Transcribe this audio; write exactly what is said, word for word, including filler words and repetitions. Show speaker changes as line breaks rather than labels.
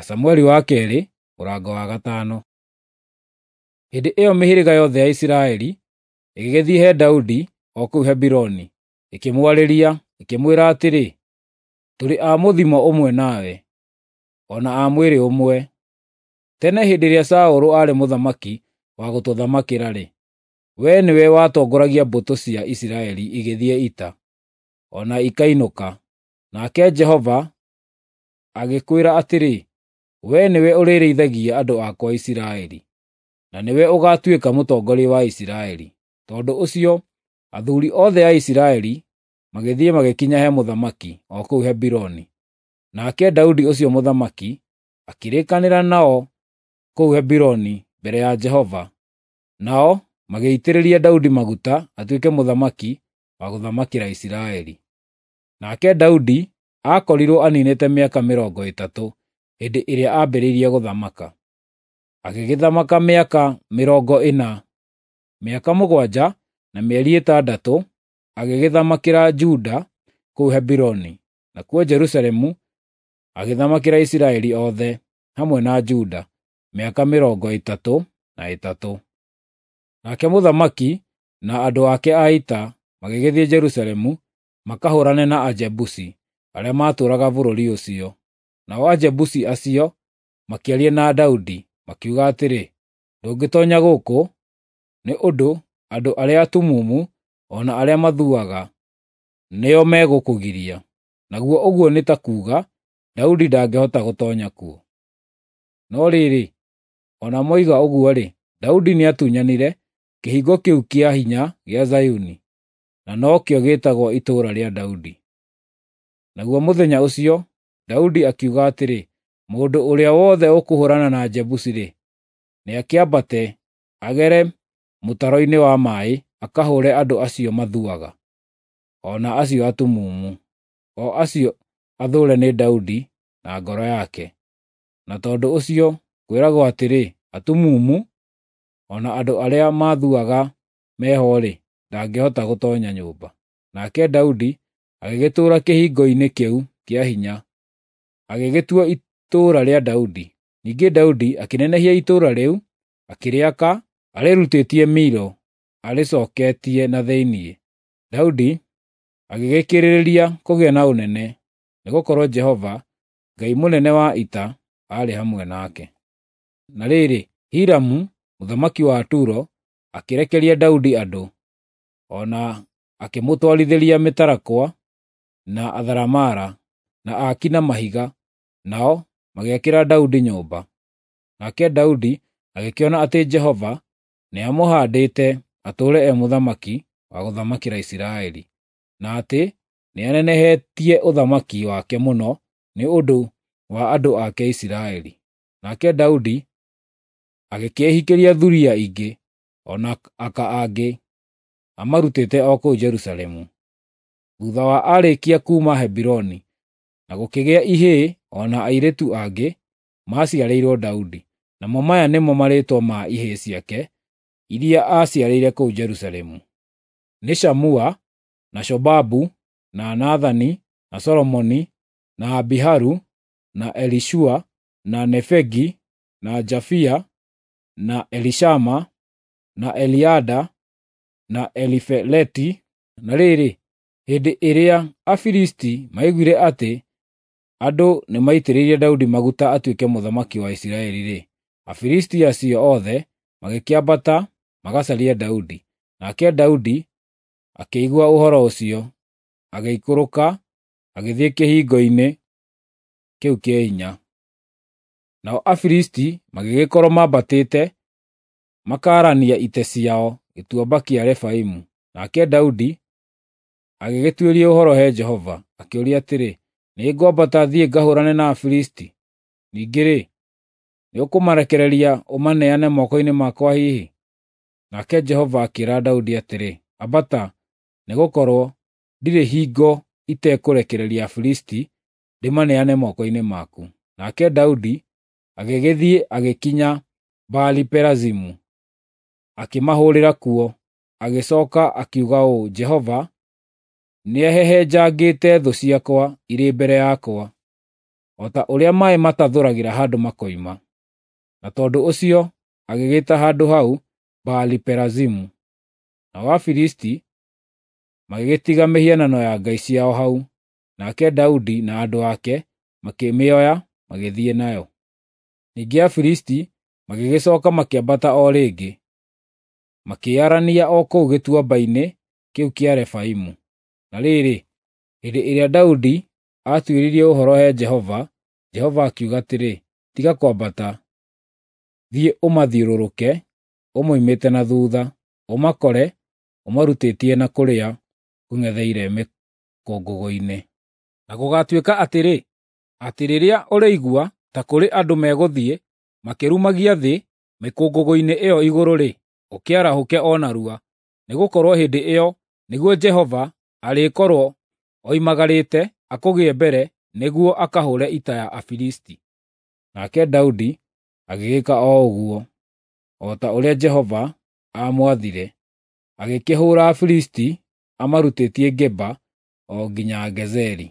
Samueli wa keerĩ mũrango wa gatano. Hĩndĩ ĩyo mĩhĩrĩga yothe ya Isiraeli ĩgĩgĩthiĩ he Daudi o kũu Hebironi, ĩkĩmwarĩria, ĩkĩmwĩra atĩrĩ, “Tũrĩ a mũthimo ũmwe nawe, o na a mwĩrĩ ũmwe. Tene hĩndĩ ĩrĩa Saũlũ aarĩ mũthamaki wa gũtũthamakĩra-rĩ, wee nĩwe watongoragia mbũtũ cia Isiraeli igĩthiĩ ita, o na ikainũka. Nake Jehova agĩkwĩra atĩrĩ, ‘Wee nĩwe ũrĩrĩithagia andũ akwa Isiraeli, na nĩwe ũgaatuĩka mũtongoria wa Isiraeli.’ Tondũ ũcio athuuri othe a Isiraeli magĩthiĩ magĩkinya he mũthamaki o kũu Hebironi. Nake Daudi ũcio mũthamaki akĩrĩkanĩra nao kũu Hebironi mbere ya Jehova, nao magĩitĩrĩria Daudi maguta atuĩke mũthamaki wa gũthamakĩra Isiraeli. Nake Daudi aakorirwo aniinĩte mĩaka mĩrongo ĩtatũ hĩndĩ ĩrĩa aambĩrĩirie gũthamaka. Agĩgĩthamaka mĩaka mĩrongo ĩna, mĩaka mũgwanja na mĩeri ĩtandatũ agĩgĩthamakĩra Juda kũu Hebironi, nakuo Jerusalemu agĩthamakĩra Isiraeli othe, hamwe na Juda, mĩaka mĩrongo ĩtatũ na ĩtatũ. Nake mũthamaki na andũ ake a ita magĩgĩthiĩ Jerusalemu makahũũrane na Ajebusi arĩa maatũũraga bũrũri ũcio. Nao Ajebusi acio makĩaria na Daudi, makiuga atĩrĩ, “Ndũngĩtoonya gũkũ, nĩ ũndũ andũ arĩa atumumu o na arĩa mathuaga nĩo megũkũgiria.” Naguo ũguo nĩ ta kuuga Daudi ndangĩhota gũtoonya kuo. No rĩrĩ, o na moiga ũguo-rĩ, Daudi nĩatunyanire kĩhingo kĩu kĩa hinya gĩa Zayuni, na nokĩo gĩĩtagwo Itũũra rĩa Daudi. Naguo mũthenya ũcio Daudi akiuga atĩrĩ, “Mũndũ ũrĩa wothe ũkũhũũrana na Ajebusi-rĩ, nĩakĩambate agere mũtaro-inĩ wa maaĩ akahũũre andũ acio mathuaga, o na acio atumumu, o acio athũũre nĩ Daudi na ngoro yake.” Na tondũ ũcio kwĩragwo atĩrĩ, “Atumumu o na andũ arĩa mathuaga meho-rĩ, ndangĩhota gũtoonya nyũmba.” Nake Daudi agĩgĩtũũra kĩhingo-inĩ kĩu kĩa hinya, agĩgĩtua Itũũra rĩa Daudi. Ningĩ Daudi akĩnenehia itũũra rĩu, akĩrĩaka arĩrutĩtie Milo arĩcooketie na thĩinĩ. Daudi agĩgĩkĩrĩrĩria kũgĩa na ũnene, nĩgũkorwo Jehova, Ngai mũnene wa ita, aarĩ hamwe nake. Na rĩrĩ, Hiramu mũthamaki wa Turo akĩrekeria Daudi andũ, o na akĩmũtwarithĩria mĩtarakwa, na atharamara, na aaki na mahiga, nao magĩakĩra Daudi nyũmba. Nake Daudi agĩkĩona atĩ Jehova nĩamũhaandĩte atũũre e mũthamaki wa gũthamakĩra Isiraeli, na atĩ nĩanenehetie ũthamaki wake mũno nĩ ũndũ wa andũ ake Isiraeli. Nake Daudi agĩkĩĩhikĩria thuriya ingĩ o na aka angĩ, amarutĩte o kũu Jerusalemu. Thuutha wa aarĩkia kuuma Hebironi, na gũkĩgĩa ihĩĩ o na airĩtu angĩ maaciarĩirwo Daudi. Namo maya nĩmo marĩĩtwa ma ihĩĩ ciake iria aaciarĩire kũu Jerusalemu: nĩ Shamua, na Shobabu, na Nathani, na Solomoni, na Abiharu, na Elishua, na Nefegi, na Jafia, na Elishama, na Eliada, na Elifeleti. Na rĩrĩ, hĩndĩ ĩrĩa Afilisti maiguire atĩ andũ nĩmaitĩrĩirie Daudi maguta atuĩke mũthamaki wa Isiraeli-rĩ, Afilisti acio othe magĩkĩambata magacarie Daudi. Nake Daudi akĩigua ũhoro ũcio, agĩikũrũka agĩthiĩ kĩhingo-inĩ kĩu kĩa hinya. Nao Afilisti magĩgĩkorwo mambatĩte makaarania ita ciao Gĩtuamba kĩa Refaimu. Nake Daudi agĩgĩtuĩria ũhoro he Jehova, akĩũria atĩrĩ, “Nĩngwambata thiĩ ngahũũrane na Afilisti? Ningĩ-rĩ, nĩũkũmarekereria ũmaneane moko-inĩ makwa hihi?” Nake Jehova akĩĩra Daudi atĩrĩ, “Ambata, nĩgũkorwo ndirĩ hingo itekũrekereria Afilisti ndĩmaneane moko-inĩ maku.” Nake Daudi agĩgĩthiĩ agĩkinya Baali-Perazimu, akĩmahũũrĩra kuo. Agĩcooka akiuga ũũ, “Jehova nĩahehenjangĩte thũ ciakwa irĩ mbere yakwa, o ta ũrĩa maaĩ matathũragĩra handũ makoima. Na tondũ ũcio agĩgĩĩta handũ hau Baali-Perazimu. Nao Afilisti magĩgĩtiga mĩhianano ya ngai ciao hau, nake Daudi na andũ ake makĩmĩoya magĩthiĩ nayo. Ningĩ Afilisti magĩgĩcooka makĩambata o rĩngĩ, makĩĩarania o kũu gĩtuamba-inĩ kĩu kĩa Refaimu. Na rĩrĩ, hĩndĩ ĩrĩa Daudi aatuĩririe ũhoro he Jehova, Jehova akiuga atĩrĩ, “Tiga kwambata, thiĩ ũmathiũrũrũke ũmoimĩte na thuutha, ũmakore ũmarutĩtie na kũrĩa kũng'etheire mĩkũngũgũ-inĩ. Na gũgaatuĩka atĩrĩ, atĩ rĩrĩa ũrĩigua ta kũrĩ andũ megũthiĩ makĩrumagia thĩ mĩkũngũgũ-inĩ ĩyo igũrũ-rĩ, ũkĩarahũke o narua, nĩgũkorwo hĩndĩ ĩyo nĩguo Jehova arĩkorwo oimagarĩte akũgĩe mbere nĩguo akahũũre ita ya Afilisti.” Nake Daudi agĩgĩĩka o ũguo, o ta ũrĩa Jehova aamwathire, agĩkĩhũũra Afilisti amarutĩtie Geba o nginya Gezeri.